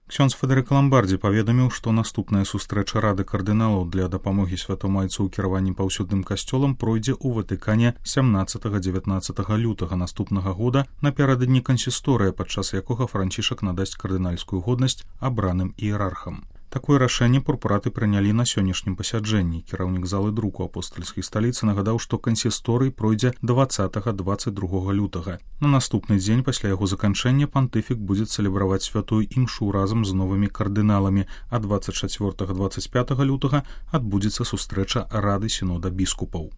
Ксёндз Федэрыка Ламбардзі паведаміў, што наступная сустрэча Рады кардыналаў для дапамогі святомайцу ў кіраванні паўсюдным касцёлам пройдзе ў Ватыкане 17-19 лютага наступнага года напярэдадні кансісторыя, падчас якога Францішак надасць кардынальскую годнасць абраным іерархам. Такое рашэнне пурпураты прынялі на сённяшнім пасяджэнні. Кіраўнік залы друку апостальскай сталіцы нагадаў, што кансісторый пройдзе 20-22 лютага. На наступны дзень пасля яго заканчэння пантыфік будзе цэлебраваць святую імшу разам з новымі кардыналамі, а 24-25 лютага адбудзецца сустрэча Рады сінода біскупаў.